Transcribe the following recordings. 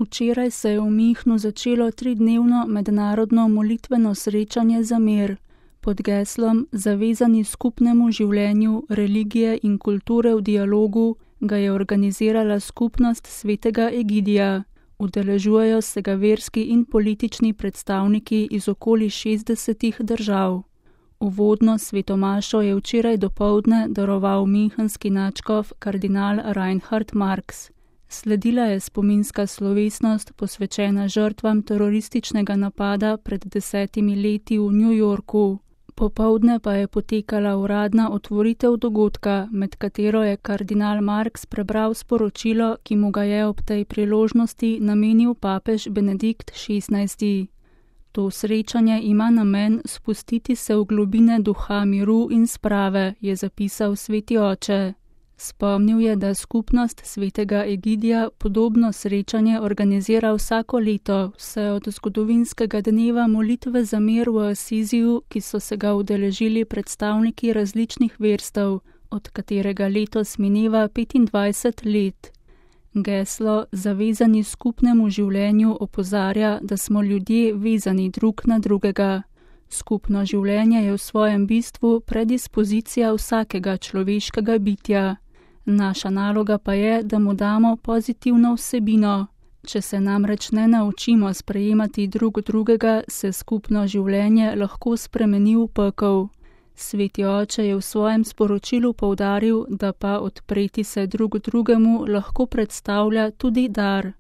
Včeraj se je v Münchnu začelo 3-dnevno mednarodno molitveno srečanje za mir. Pod geslom Zavezani skupnemu življenju, religije in kulture v dialogu ga je organizirala skupnost svetega Egidija. Udeležujejo se ga verski in politični predstavniki iz okoli 60 držav. Uvodno svetomašo je včeraj dopoldne daroval münchenski nadškof kardinal Reinhard Marx. Sledila je spominska slovesnost posvečena žrtvam terorističnega napada pred 10 leti v New Yorku. Popoldne pa je potekala uradna otvoritev dogodka, med katero je kardinal Marx prebral sporočilo, ki mu ga je ob tej priložnosti namenil papež Benedikt XVI. To srečanje ima namen spustiti se v globine duha miru in sprave, je zapisal sveti oče. Spomnil je, da skupnost svetega Egidija podobno srečanje organizira vsako leto, vse od zgodovinskega dneva molitve za mir v Asiziju, ki so se ga udeležili predstavniki različnih verstev, od katerega letos mineva 25 let. Geslo Zavezani skupnemu življenju opozarja, da smo ljudje vezani drug na drugega. Skupno življenje je v svojem bistvu predispozicija vsakega človeškega bitja. Naša naloga pa je, da mu damo pozitivno vsebino. Če se namreč ne naučimo sprejemati drug drugega, se skupno življenje lahko spremeni v pekel. Sveti oče je v svojem sporočilu poudaril, da pa odpreti se drug drugemu lahko predstavlja tudi dar.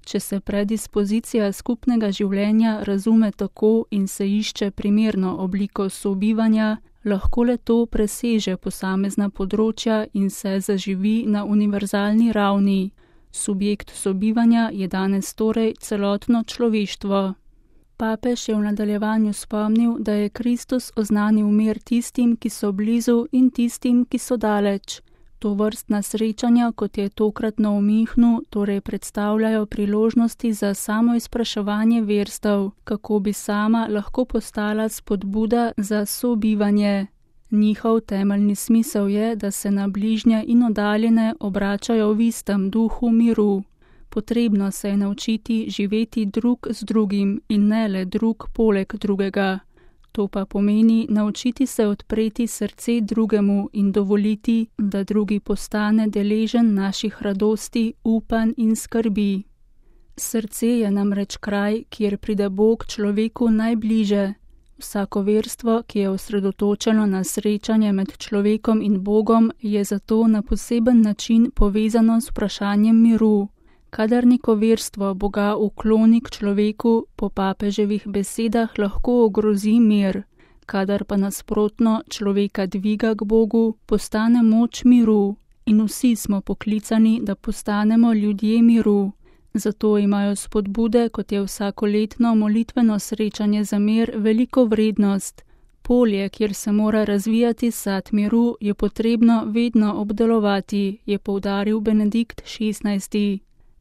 Če se predispozicija skupnega življenja razume tako in se išče primerno obliko sobivanja, lahko le to preseže posamezna področja in se zaživi na univerzalni ravni. Subjekt sobivanja je danes torej celotno človeštvo. Papež je v nadaljevanju spomnil, da je Kristus oznanil mir tistim, ki so blizu in tistim, ki so daleč. Tovrstna srečanja, kot je tokratno v Münchnu, torej predstavljajo priložnosti za samoizpraševanje verstev, kako bi sama lahko postala spodbuda za sobivanje. Njihov temeljni smisel je, da se na bližnje in oddaljene obračajo v istem duhu miru. Potrebno se je naučiti živeti drug z drugim in ne le drug poleg drugega. To pa pomeni naučiti se odpreti srce drugemu in dovoliti, da drugi postane deležen naših radosti, upanj in skrbi. Srce je namreč kraj, kjer pride Bog človeku najbliže. Vsako verstvo, ki je osredotočeno na srečanje med človekom in Bogom, je zato na poseben način povezano s vprašanjem miru. Kadar neko verstvo Boga ukloni k človeku, po papeževih besedah lahko ogrozi mir. Kadar pa nasprotno človeka dviga k Bogu, postane moč miru. In vsi smo poklicani, da postanemo ljudje miru. Zato imajo spodbude, kot je vsakoletno molitveno srečanje za mir, veliko vrednost. Polje, kjer se mora razvijati sad miru, je potrebno vedno obdelovati, je poudaril Benedikt XVI.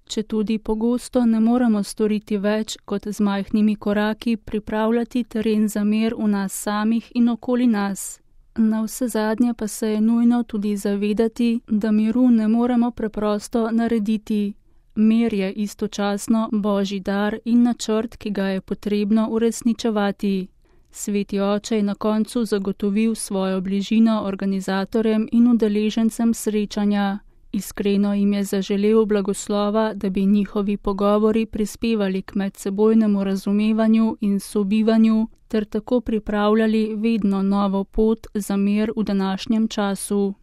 Četudi pogosto ne moremo storiti več, kot z majhnimi koraki pripravljati teren za mir v nas samih in okoli nas. Navsezadnje pa se je nujno tudi zavedati, da miru ne moremo preprosto narediti. Mir je istočasno Božji dar in načrt, ki ga je potrebno uresničevati. Sveti oče je na koncu zagotovil svojo bližino organizatorjem in udeležencem srečanja. Iskreno jim je zaželel blagoslova, da bi njihovi pogovori prispevali k medsebojnemu razumevanju in sobivanju ter tako pripravljali vedno novo pot za mir v današnjem času.